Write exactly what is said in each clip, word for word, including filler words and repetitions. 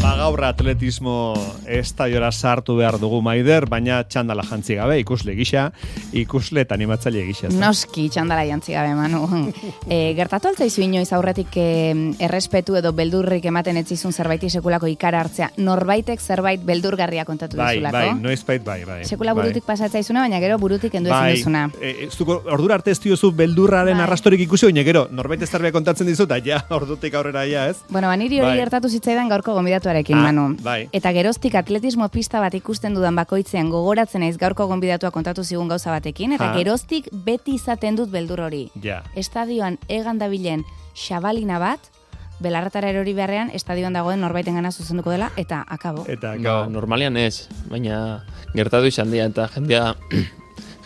Gaur atletismo estadiora sartu behar dugu Maider, baina txandala jantzi gabe, ikusle gisa, ikusle eta animatzaile gisa. Noski txandala jantzi gabe, Manu. e, gertatu altzaizu inoiz aurretik e, errespetu edo beldurrik ematen etzizun zerbaiti sekulako ikara hartzea, norbaitek zerbait beldurgarria kontatu bai, dizulako? Bai, noizbait bai, bai. Sekula burutik bai. pasatzaizuna, baina gero burutik endu ezin bai, duzuna. E, zuko, ordura arte ez diozu beldurraren bai. arrastorik ikusi, baina gero, norbait ez zerbait kontatzen dizu, eta ja, ordutik aurrera ja, ez? Bueno, baniri hori bai. gertatu zitzaidan gaurko gonbidatuarekin, ah, Manu. Bai. Eta geroztik atletismo pista bat ikusten dudan bakoitzean gogoratzen naiz gaurko gonbidatua kontatu zigun gauza batekin, eta ha. geroztik beti izaten dut beldur hori. Ja. Estadioan egan dabilen xabalina bat, belarratara erori beharrean, estadioan dagoen norbaiten gana zuzenduko dela, eta akabo. Eta akabo. No, normalian ez, baina gertatu izan dira, eta jendea,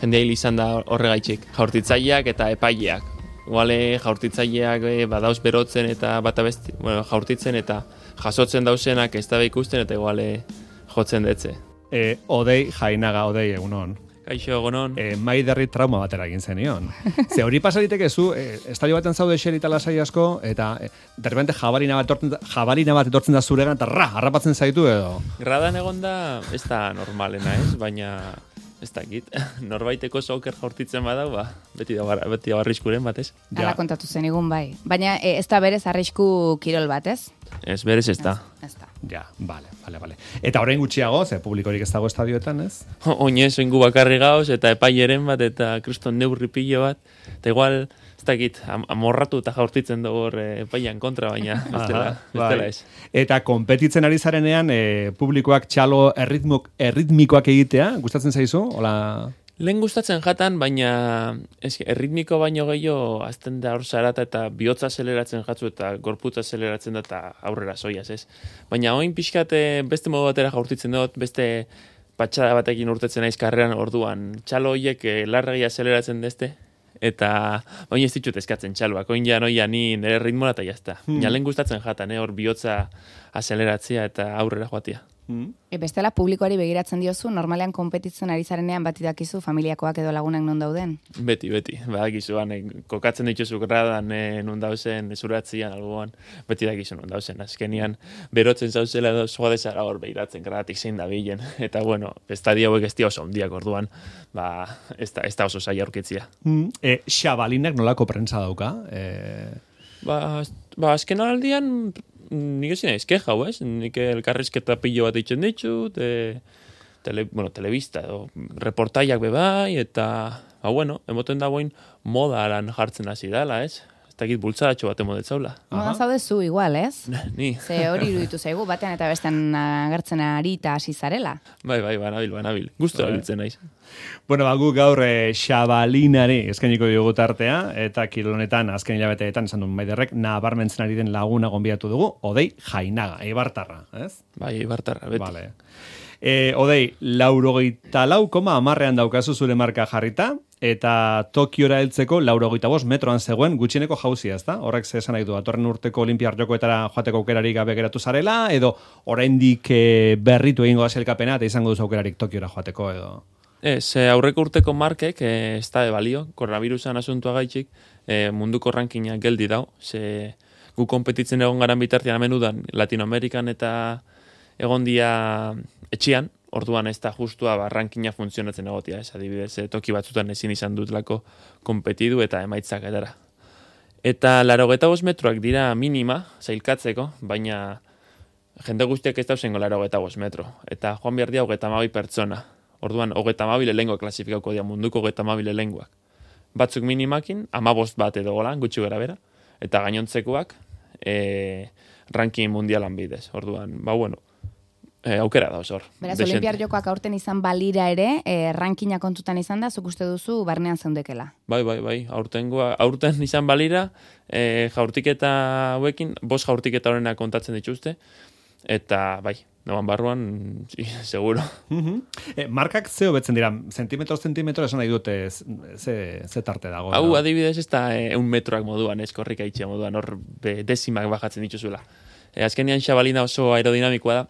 jendea hil izan da horregaitxik. Jaurtitzaileak eta epaileak. Iguale jaurtitzaileak e, badauz berotzen eta bata besti, bueno, jaurtitzen eta jasotzen dausenak ez da ikusten eta iguale jotzen detze. E, odei jainaga, odei egunon. Kaixo egunon. E, Maiderri trauma batera egin zenion. Ze hori pasariteke zu, e, estadio baten zaude xerita lasai asko, eta e, derrepente jabalina bat etortzen, jabalina bat etortzen da zuregan, eta ra, harrapatzen zaitu edo. Gradan egon da, ez da normalena ez, baina ez dakit, norbaiteko soker jaurtitzen badau, ba, beti da, beti da arriskuren bat, ez? Hala kontatu zen igun bai. Baina e, ez da berez arrisku kirol bat, ez? Ez, berez ez da. Ez da. Ja, bale, bale, bale. Eta orain gutxiago, ze publikorik ez dago estadioetan, ez? Oinez, oingu bakarri gauz, eta epaileren bat, eta kriston neurri pilo bat, eta igual, ez dakit, am amorratu eta jaurtitzen dugu hor epailan kontra, baina ez dela, ez dela ez. Eta konpetitzen ari zarenean, e, publikoak txalo erritmok, erritmikoak egitea, gustatzen zaizu? Hola... Lehen gustatzen jatan, baina ez, erritmiko baino gehiago azten da hor zarata eta bihotza azeleratzen jatzu eta gorputza azeleratzen da eta aurrera soiaz, ez? Baina oin pixkate beste modu batera jaurtitzen dut, beste patxada batekin urtetzen naiz karreran orduan. Txalo horiek larregi azeleratzen dezte, eta oin ez ditut eskatzen txaloak, oin ja noia ni nire ritmoa eta jazta. Hmm. Lehen gustatzen jatan, eh, hor bihotza azeleratzea eta aurrera joatia. E bestela publikoari begiratzen diozu, normalean konpetitzen ari zarenean bati dakizu familiakoak edo lagunak non dauden? Beti, beti. Badakizu, ane, kokatzen dituzu gradan e, non dauzen, esuratzian, algoan, beti dakizu non dauzen. Azkenian, berotzen zauzela edo zoa dezara hor behiratzen gradatik zein da bilen. Eta, bueno, estadio hauek ez dira oso ondiak orduan, ba, ez da, ez da oso zaila aurkitzia. Mm, e, xabalinak nolako prensa dauka? E... Ba, ba, azken aldian... Nik ezin ez keja, ez? Nik elkarrizketa pilo bat eitzen ditut, e, tele, bueno, telebista edo reportaiak bebai, eta, ba, bueno, emoten dagoen moda lan jartzen hasi dela, ez? Ez dakit bultzadatxo bat emodetzaula. Moda zaude zu igual, ez? Ni. Ze hori iruditu zaigu, batean eta bestean agertzen ari eta hasi zarela. Bai, bai, banabil, banabil. Gusto abiltzen naiz. Bueno, ba, gu gaur e, xabalinari eskainiko diogu tartea, eta kilonetan azken hilabeteetan esan duen Maiderrek nabarmentzen ari den laguna gonbidatu dugu, Odei Jainaga, Eibartarra, ez? Bai, Eibartarra, beti. Vale. E, Odei, laurogeita lau koma amarrean daukazu zure marka jarrita, eta Tokiora heltzeko laurogeita bost metroan zegoen gutxieneko jauzia, ezta? Horrek ze esan nahi du, atorren urteko Olimpiar Jokoetara joateko aukerarik gabe geratu zarela, edo oraindik e, berritu egingo da sailkapena eta izango duzu aukerarik Tokiora joateko, edo... Ez, aurreko urteko markek, eh, ez da de balio, koronavirusan asuntua gaitxik, eh, munduko rankina geldi dau, ze gu konpetitzen egon garan bitartean amenudan Latinoamerikan eta egon dia etxian, orduan ez da justua ba, rankina funtzionatzen egotia, ez adibidez, eh, toki batzutan ezin izan dutlako konpetidu eta emaitzak edara. Eta laurogeita bost metroak dira minima, zailkatzeko, baina jende guztiak ez dauzengo laurogeita bost metro, eta joan behar dia hogeita hamabi pertsona. Orduan, hogeita hamabi lengua klasifikauko dira munduko hogeita hamabi lenguak. Batzuk minimakin, hamabost bat edo golan, gutxi gara bera, eta gainontzekoak e, ranking mundialan bidez. Orduan, ba bueno, e, aukera da osor. Beraz, Olimpiar Jokoak aurten izan balira ere, e, rankina kontutan izan da, zuk uste duzu barnean zeundekela. Bai, bai, bai, aurtengoa, aurten izan balira, e, jaurtiketa hauekin, bost jaurtiketa horrena kontatzen dituzte, eta bai, noan barruan, sí, seguro. Uh-huh. E, markak ze hobetzen dira, zentimetro, zentimetro esan nahi dute ze, ze tarte dago. Hau, no? adibidez, ez da e, un metroak moduan, ez korrika itxea moduan, hor be, desimak bajatzen dituzuela. E, azkenian xabalina oso aerodinamikoa da,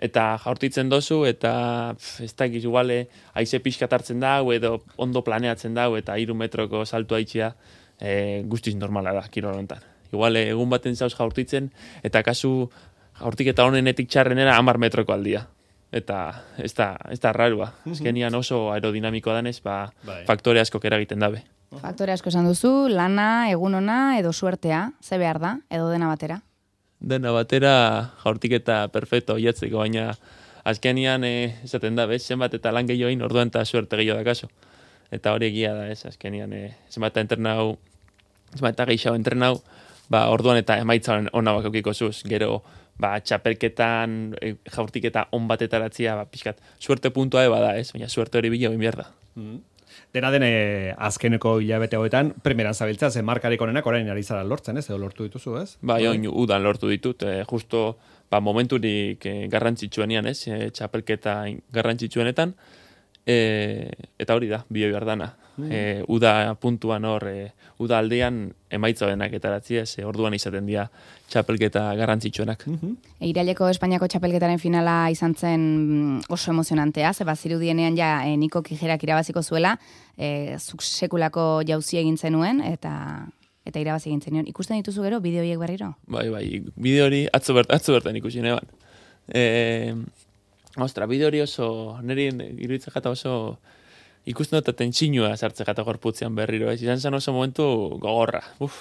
eta jaurtitzen dozu, eta pf, ez da egiz iguale, haize pixkat hartzen dau, edo ondo planeatzen dau, eta hiru metroko saltua itxea, e, guztiz normala da, kirol honetan. Igual, egun baten zauz jaurtitzen, eta kasu jaurtiketa honenetik txarrenera hamar metroko aldia. Eta ez da, ez da rarua. Azkenian oso aerodinamikoa danez, ba, Bai. faktore asko eragiten dabe. Faktore asko esan duzu, lana, egun ona edo suertea, ze behar da, edo dena batera? Dena batera jaurtiketa perfecto oiatzeko, baina azkenian eh, esaten da, bez, zenbat eta lan gehioin orduan eta suerte gehiago dakaso. Eta hori egia da, ez, azkenian eh, zenbat eta entrenau, zenbat eta gehiago entrenau, ba, orduan eta emaitza ona bakokiko zuz. Gero, ba, txapelketan, e, jaurtiketa on batetaratzia, ba, pixkat, suerte puntua eba da, ez? Baina suerte hori bila egin behar da. Mm. Dena den eh, azkeneko hilabete hauetan, primeran zabiltza, ze markarik onenak orain ari zara lortzen, ez? Edo lortu dituzu, ez? Ba, join udan lortu ditut, e, justo, ba, momenturik e, garrantzitsuenean, ez? E, txapelketa garrantzitsuenetan, e, eta hori da, bio behar dana. Mm. E, uda puntuan hor, e, uda aldean emaitza denak etaratzia, ez? E, orduan izaten dira txapelketa garrantzitsuenak. Mm-hmm. E, Iraileko Espainiako txapelketaren finala izan zen oso emozionantea, ze bazirudienean ja e, Niko Kijerak irabaziko zuela, e, zuk sekulako jauzi egin zenuen, eta eta irabazi egin zenuen. Ikusten dituzu gero, bideo horiek berriro? Bai, bai, bideo hori atzo, bert, atzo bertan ikusi neban. E, ostra, bideo hori oso, niri iruditzen jata oso ikusten dut tentsinua sartze jata gorputzean berriro, ez izan zen oso momentu gogorra. Uf,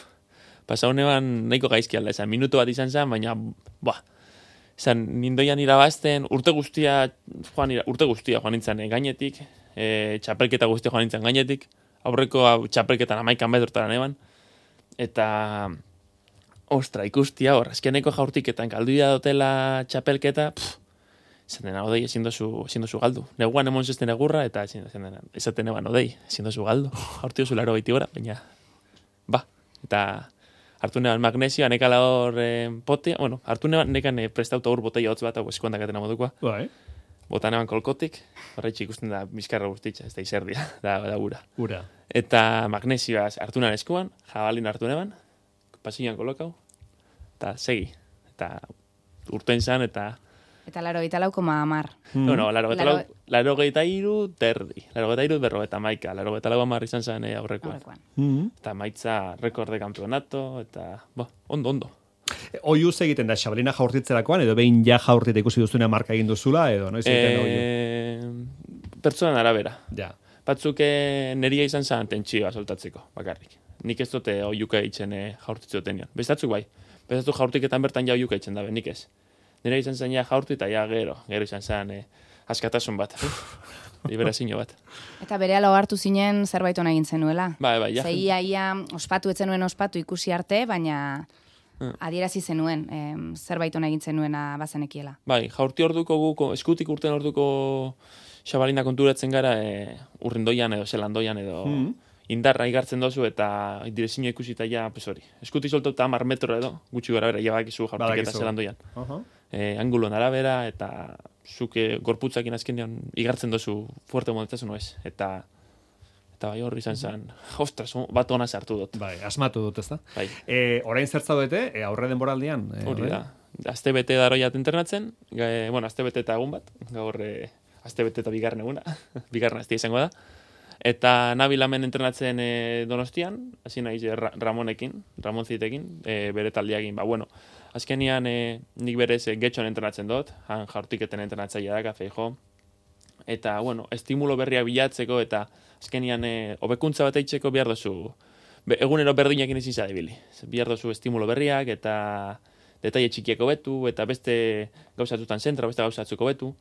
pasau neban nahiko gaizki alda, esan minutu bat izan zen, baina, ba, esan nindoian irabazten, urte guztia, joan, urte guztia joan nintzen gainetik, e, txapelketa guztia joan nintzen gainetik, aurreko txapelketan amaikan betortara neban, eta, ostra, ikustia hor, azkeneko jaurtiketan galduia dotela txapelketa, pff, esaten dena, odei, ezin dozu, ezin dozu galdu. Neguan emon zesten egurra, eta esaten eban, odei, ezin dozu galdu. Jaurti dozu laro gaiti gora, baina, ba, eta hartu neban magnesioa, nekala hor eh, potea, bueno, hartu neban nekan eh, prestauta hor botei hotz bat, hau eskuandakatena modukoa. Bai. Bota neban kolkotik, horretxe ikusten da bizkarra guztitza, ez da izerdia, da, da ura. Ura. Eta magnesioa hartu neban eskuan, jabalin hartu neban, pasilloan kolokau, eta segi. Eta urten zan, eta Eta laro gita lau koma amar. Mm. No, no, laro geta lau, laro geta iru terdi. Laro geta iru berro eta maika. Laro geta lau amar izan zen eh, aurrekoan. Aurrekoan. Mm-hmm. Eta maitza rekorde campeonato, eta, bo, ondo, ondo. Oiuz egiten da, xabalina jaurtitzerakoan, edo behin ja jaurtita ikusi duzuna marka egin duzula, edo noiz egiten da oiu? E, pertsonan arabera. Ja. Batzuk eh, neria izan zen tentsioa soltatzeko, bakarrik. Nik ez dute oiuka eitzen eh, jaurtitze dutenion. Bestatzuk bai. Bestatzuk jaurtiketan bertan ja oiuka eitzen dabe, nik ez. Nire izan zen ja jaurtu eta ja gero, gero izan zen eh, askatasun bat, liberazio bat. Eta bere alo hartu zinen zerbait ona egin zenuela. Bai, bai, ja. Zeia ia ospatu etzenuen ospatu ikusi arte, baina Hmm. adierazi zenuen, em, zerbait ona egin zenuena bazenekiela. Bai, jaurti orduko guko, eskutik urten orduko xabalina konturatzen gara e, urrindoian edo zelandoian edo Mm. indarra igartzen dozu eta direzio ikusita ja, pues hori. Eskutik soltauta hamar metro edo, gutxi gara bera, ja bakizu jaurtik eta Badakizu. zelandoian. Uh-huh. E, angulon arabera eta zuke gorputzakin azkenean igartzen dozu fuerte modetasun ez. Eta eta bai horri izan zen, ostras, bat ona sartu dut. Bai, asmatu dut, ezta? Bai. E, orain zertzaudete, e, aurre denboraldian? E, Hori orain? da. Azte bete daroiat internatzen, e, bueno, azte bete eta egun bat, gaur e, azte bete eta bigarren eguna, bigarren azte izango da. Eta nabil hemen entrenatzen e, Donostian, hasi naiz e, Ra Ramonekin, Ramon Zitekin, e, bere taldeakin, ba, bueno, azkenian e, nik berez e, getxon entrenatzen dut, han jaurtiketen entrenatzailea da, Feijo, eta, bueno, estimulo berria bilatzeko, eta azkenian e, hobekuntza bat eitzeko behar dozu, be, egunero berdinekin ezin zadibili. Behar dozu estimulo berriak, eta detaile txikiak hobetu, eta beste gauzatutan zentra, beste gauzatzuko hobetu.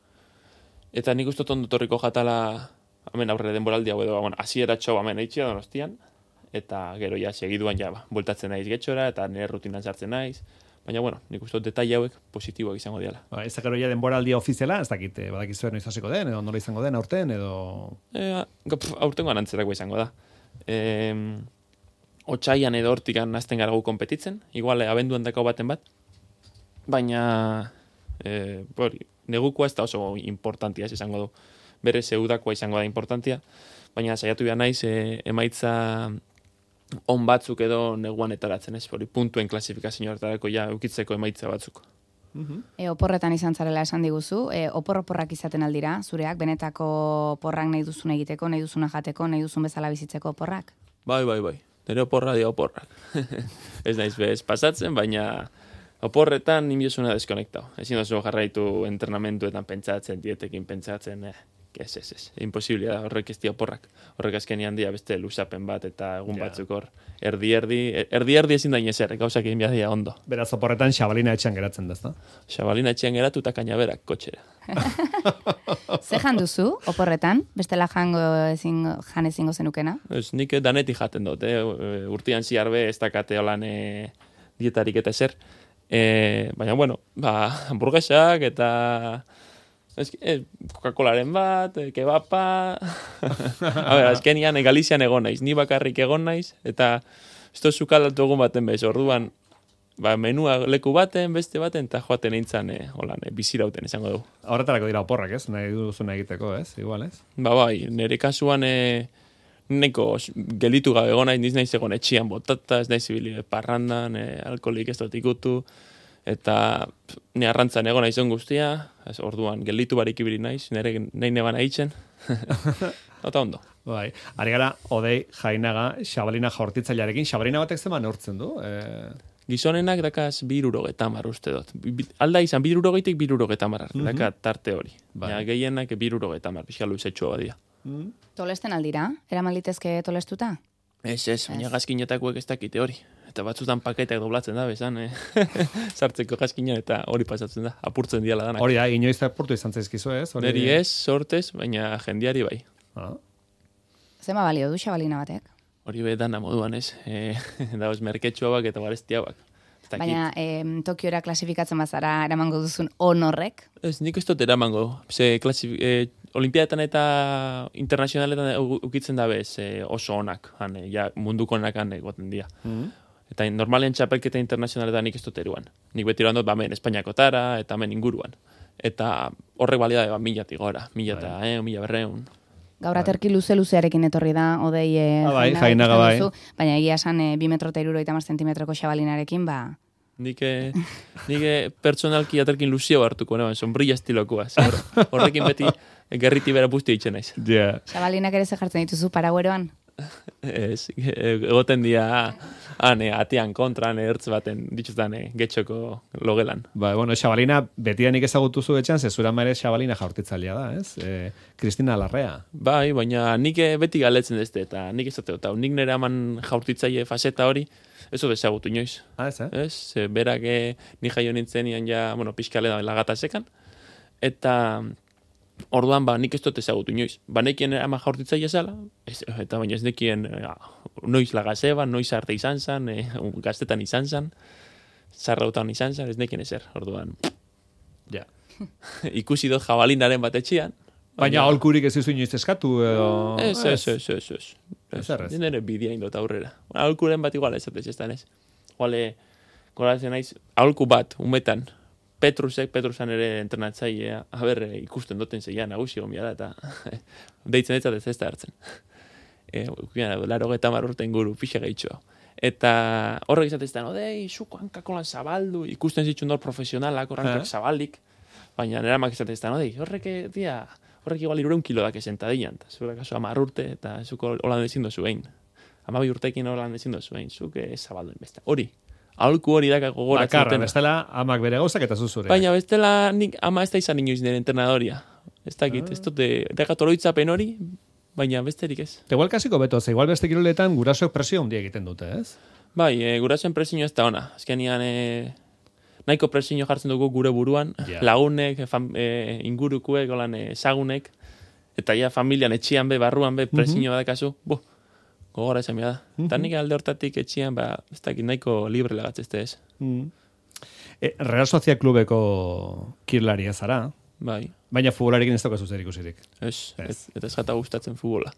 Eta nik uste ondo torriko jatala, hemen aurre denboraldi hau edo, bueno, hasiera txau hemen eitxia Donostian, eta gero ja segiduan ja, ba, bueltatzen naiz getxora, eta nire rutinan sartzen naiz. Baina, bueno, nik uste detaile hauek positiboak izango diala. Ba, ez gero ja denboraldia ofiziala, ez dakit, eh, badakizue noiz hasiko den, edo nola izango den aurten, edo... E, aurtengoan antzerako izango da. E, Otsaian edo hortikan hasten gara gu konpetitzen, igual abenduan dako baten bat, baina e, bori, negukoa ez da oso importantia, ez izango du. Bere zeudakoa izango da importantia, baina saiatu behar naiz e, emaitza on batzuk edo neguan etaratzen, ez, hori puntuen klasifikazioetarako ja eukitzeko emaitza batzuk. E, oporretan izan zarela esan diguzu, e, opor-oporrak izaten aldira, zureak, benetako porrak nahi duzun egiteko, nahi duzuna jateko, nahi duzun bezala bizitzeko oporrak? Bai, bai, bai. Nire oporra dira oporrak. Ez naiz bez pasatzen, baina Oporretan nimbiosuna deskonektau. Ezin oso jarraitu entrenamentuetan pentsatzen, dietekin pentsatzen, eh, ez, ez, ez. Imposibilia da, horrek ez di oporrak. Horrek azkenian dia beste lusapen bat eta egun Ja. batzuk hor. Erdi-erdi, erdi-erdi ezin da inezer, gauzak egin behar dira ondo. Beraz, oporretan xabalina etxean geratzen da, ezta? Xabalina etxean geratu eta kainaberak kotxera. Ze jan duzu, oporretan? Bestela jango ezin, jan ezingo zenukena? Ez, nik danetik jaten dut, eh? Urtian ziarbe ez dakate holan eh, dietarik eta ezer. Eh, baina, bueno, ba, hamburguesak eta ez, eh, Coca-Colaren bat, eh, kebapa... A ber, azkenian, eh, Galizian egon naiz, ni bakarrik egon naiz, eta ez da zukaldatu egun baten bez, orduan, ba, menua leku baten, beste baten, eta joaten eintzan, eh, holan, eh, bizirauten esango dugu. Horretarako dira oporrak, ez? Nahi duzuna egiteko, ez? Igual, ez? Ba, bai, nire kasuan, eh, neko gelitu gabe egon naiz, niz naiz egon etxian botata, ez naiz ibili parrandan, eh, alkoholik ez dut ikutu, eta pff, ni arrantzan egon naiz on guztia, ez, orduan gelitu barik ibili naiz, nire nahi neban aitzen, eta ondo. Bai, ari gara, Odei Jainaga, xabalina jaurtitzailearekin, xabalina batek zeman neurtzen du? E... Gizonenak dakaz birurogeta mar uste dut. Bi- Alda izan birurogeitik birurogeta mar arte, Mhm. daka tarte hori. Bai. Ja, gehienak birurogeta mar, pixka luzetxua badia. Mm. Tolesten aldira? Eraman litezke tolestuta? Ez, ez, baina gazkinetakoek ez dakite hori. Eta batzutan paketak doblatzen da, bezan, eh? Sartzeko gazkina eta hori pasatzen da, apurtzen diala danak. Hori da, inoiz apurtu izan zaizkizu, ez? Hori... Neri ez, sortez, baina jendiari bai. Ah. Zema balio du xabalina batek? Hori be dana moduan, ez? E, dauz merketxuabak eta garestiabak. Ez dakit. Baina em, Tokiora klasifikatzen bazara eramango duzun honorrek? Ez, nik ez dut eramango. Ze, klasif, e, olimpiadetan eta internazionaletan u- ukitzen da bez e, oso onak, han, e, ja, munduko onak han egoten dira. Mm. Eta normalen txapelketa internazionaletan nik ez dut eruan. Nik beti eroan dut, ba, men, Espainiako tara, eta men inguruan. Eta horrek balia da, ba, milatik gora, mila eta, eh, mila berreun. Gaur aterki luze-luzearekin etorri da, Odei e, Ah, bai, Jainaga Jainaga, ikusten bai. duzu, baina egia esan e, bi metro eta hirurogeita hamar zentimetroko xabalinarekin, ba, Nik, eh, nik eh, pertsonalki aterkin luzio hartuko, neban, sombrilla estilokoa. Ze hor- Horrekin beti eh, gerriti bera buzti eitzen naiz. Yeah. xabalinak ere ze jartzen dituzu paragueroan? Ez, e- egoten dira, han, eh, atean kontran, eh, ertz baten, dituztan, eh, getxoko logelan. Ba, bueno, xabalina betianik ezagutu zu etxan, zezura ere xabalina jaurtitzailea da, ez? E, Kristina Larrea. Bai, baina nik eh, beti galetzen dezte, eta nik ez dut, nik nire aman jaurtitzaile faseta hori, ez dut ezagutu inoiz. Ah, ez, eh? Ez, ze berak eh, ni jaio nintzen ian ja, bueno, pixkale da lagatasekan, eta orduan ba nik ez dut ezagutu inoiz. Ba nekien ama jaurtitzaile zala, ez, eta baina ez nekien eh, noiz lagaseba, noiz arte izan zan, eh, gaztetan izan zan, zarrautan izan zan, ez nekien ezer, orduan. Ja. Ikusi dut jabalinaren bat etxean. Baina aholkurik ez izu inoiz eskatu, edo... Ez, ez, ez, ez, ez. Ez errez. Ez nire bidea indot aurrera. Aholkuren bat igual ez ez ez ez. Igual, goratzen naiz, aholku bat, umetan, Petrusek, Petrusan ere entrenatzailea, haber, eh, ikusten duten zeian, nagusi gombia da, eta deitzen ez ez ez da hartzen. E, laro geta marrurten guru, pixe gehitxoa. Eta horrek izatezten, odei, zuko hankakolan zabaldu, ikusten zitsun dor profesionalak, horrankak Eh. zabalik, baina nera mak izatezten, odei, horrek, eh, dia, horrek igual irureun kilo dake sentadian, eta zuera kaso amar urte, eta zuko holan ezin dozu behin. Amabi urtekin holan ezin dozu behin, zuke zabalduen beste. Hori, aholku hori daka gogoratzen Bakarra, dutena. bestela, amak bere gauzak eta zuzure. Baina bestela nik ama ez da izan inoiz nire entrenadoria. Ez dakit, ez dute, dakat oroitzapen hori, baina besterik ez. Te igual kasiko beto, ze igual beste kiroletan gurasoek presio handia egiten dute, ez? Bai, e, gurasoen presio ez da ona. Azkenean e, nahiko presio jartzen dugu gure buruan, Ja. lagunek, fam, e, ingurukuek, holan e, ezagunek, eta ja familian etxian be, barruan be, presio badakazu, bo, gogora esan da. Eta nik alde hortatik etxian, ba, ez dakit nahiko libre lagatzezte ez. Mm. E, Real Sociedad Klubeko kirlaria zara, Bai, baina futbolarekin ez daukazu zer ikusirik. ez, Ez. ez. eta ez jata gustatzen futbola.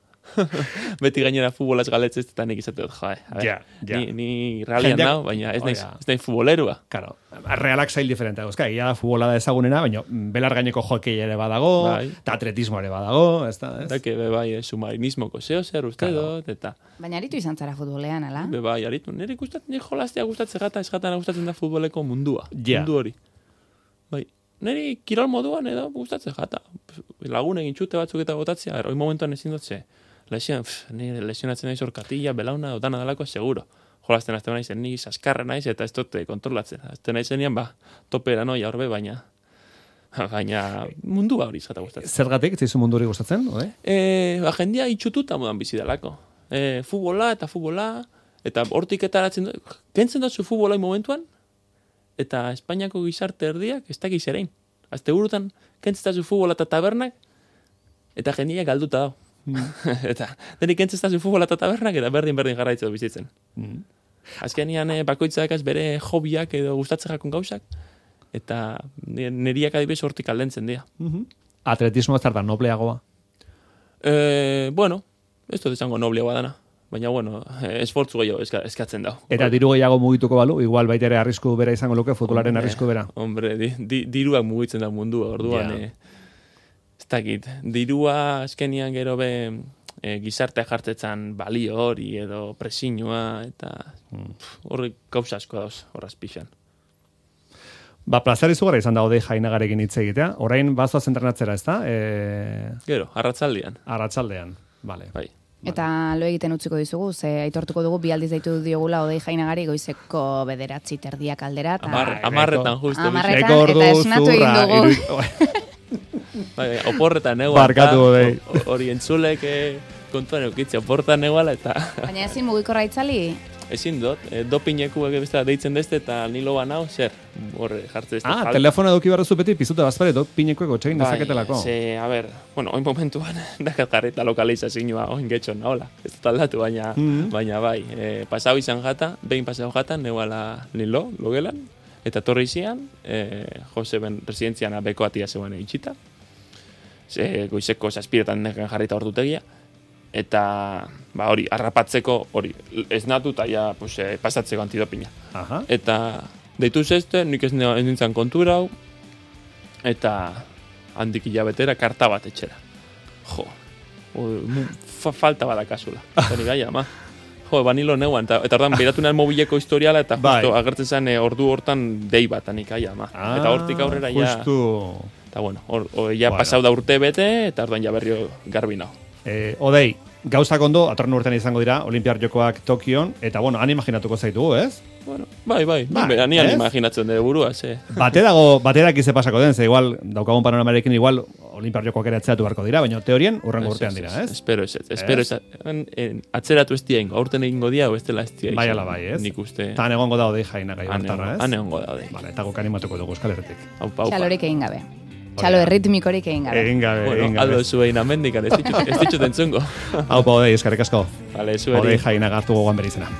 Beti gainera futbolaz galetzez, eta nik izate dut, jae. a ber, Ja, ja. Ni, ni realian Jendeak- nau, baina ez Oh, naiz, ja. ez naiz futbolerua. Claro, realak zail diferente dauzka, egia da futbola da ezagunena, baina belar gaineko jokei ere badago, Bai. eta atletismo ere badago, ez da, ez? Eta que be bai, eh, submarinismoko zeo zer uste Claro. dut, eta Baina aritu izan zara futbolean, ala? be bai, aritu. Nire gustatzen, nire jolaztea gustatzen gata, ez gata gustatzen da futboleko mundua. Ja. Mundu hori. Bai, nire kirol moduan edo gustatzen jata. Lagun egin txute batzuk eta botatzea, hori momentuan ezin dut ze. Lesion, pff, nire lesionatzen naiz orkatila, belauna, dana dalako, seguro. jolasten azten naiz, ni saskarra naiz, eta ez dut kontrolatzen. Azten naizenean, ba, topera noia horbe, baina baina mundua hori zata gustatzen. Zergatik, ez zaizu mundu hori gustatzen, ode? E, ba, jendia itxututa modan bizi dalako. E, futbola eta futbola, eta hortik etaratzen du, kentzen duzu futbolai momentuan, eta Espainiako gizarte erdiak ez dakiz erein. Azte burutan, kentzen duzu futbola eta tabernak, eta jendia galduta dago. Mm. eta denik kentzen duzu futbola eta tabernak, eta berdin-berdin jarraitzen bizitzen. Mm. Azkenean e, bakoitzak az bere hobiak edo gustatzen jakon gauzak, eta neriak adibidez hortik aldentzen dira. Mm-hmm. Atletismo ez da nobleagoa? E, bueno, ez dut esango nobleagoa dana. Baina, bueno, esfortzu gehiago eska, eskatzen dago. Eta diru gehiago mugituko balu, igual baita ere arrisku bera izango luke, futbolaren arrisku bera. Hombre, di, di, diruak mugitzen da mundua, orduan, yeah. e, ez dakit, dirua azkenian gero be e, gizartea jartzetzen balio hori edo presiñoa, eta horri mm. gauza asko dauz, horraz pixan. Ba, plazar izugarra izan da Odei Jainagarekin hitz egitea. Orain bazoaz entrenatzera, ez da? E... Gero, arratsaldean. Arratsaldean, vale. Bai. Eta lo egiten utziko dizugu, ze aitortuko dugu bi aldiz daitu diogula Odei Jainagari goizeko bederatzi terdiak aldera. Amar, amarretan justu. Amarretan, eta esnatu egin dugu. Bai, oporretan egoa. Barkatu Odei. Hori entzulek eh, kontuan eukitze, oporretan egoala eta... Baina ezin mugikorra itzali? Ezin dut, e, dopineku ege deitzen dezte eta nilo banau, zer, horre jartze ezte. Ah, falta. Telefona eduki barra zupeti, pizuta bazpare, dopinekueko txegin bai, dezaketelako. Ze, a ber, bueno, oin momentuan, dakat jarreta lokalizazioa, oin getxon nahola. Ez dut aldatu, baina, mm-hmm. baina bai, e, pasau izan jata, behin pasau jata, neuala nilo, logelan, eta torri izian, e, Jose ben residentziana beko atia zegoen itxita, ze, goizeko zazpiretan neken jarrita ordutegia, eta ba hori harrapatzeko hori esnatu ta ja pues eh, pasatzeko antidopina. Aha. Eta deitu zeste, nik ez nintzen kontura hau eta handik hilabetera karta bat etxera. Jo. O, fa, falta bada kasula. Hori gaia, ma. Jo, banilo neuan eta eta ordan beratu nal mobileko historiala eta justo bai. Agertzen zen e, ordu hortan dei bat anik gaia, ma. Ah, eta hortik aurrera ja justu. Eta bueno, hor ja bueno. Pasau da urte bete eta ordan ja berrio garbi nao. Eh, Odei, gauzak ondo, atorren urtean izango dira, Olimpiar Jokoak Tokion, eta bueno, han imaginatuko zaitugu, ez? Bueno, bai, bai, bai, bai ni han imaginatzen dure burua, ze. Bate dago, baterak ize pasako den, ze igual, daukagun panoramarekin igual, Olimpiar Jokoak ere atzeatu beharko dira, baina teorien urrengo urtean dira, ez? Espero ez, espero ez, atzeratu ez dira ingo, aurten egingo dia, o ez dela ez dira. Bai, ala bai, ez? Nik uste. Eta han egongo da Odei Jainaga ibartarra, ez? Han egongo da Odei. Vale, eta guk animatuko dugu Euskal Herritik. Aupa, aupa. Txalorik egin gabe. Txalo erritmikorik egin gabe. Egin gabe, bueno, egin gabe. Aldo zuein amendikan, ez ditut entzungo. Haupa, Odei, eskerrik asko. Vale, zueri. Odei Jainaga hartu gogoan berizena.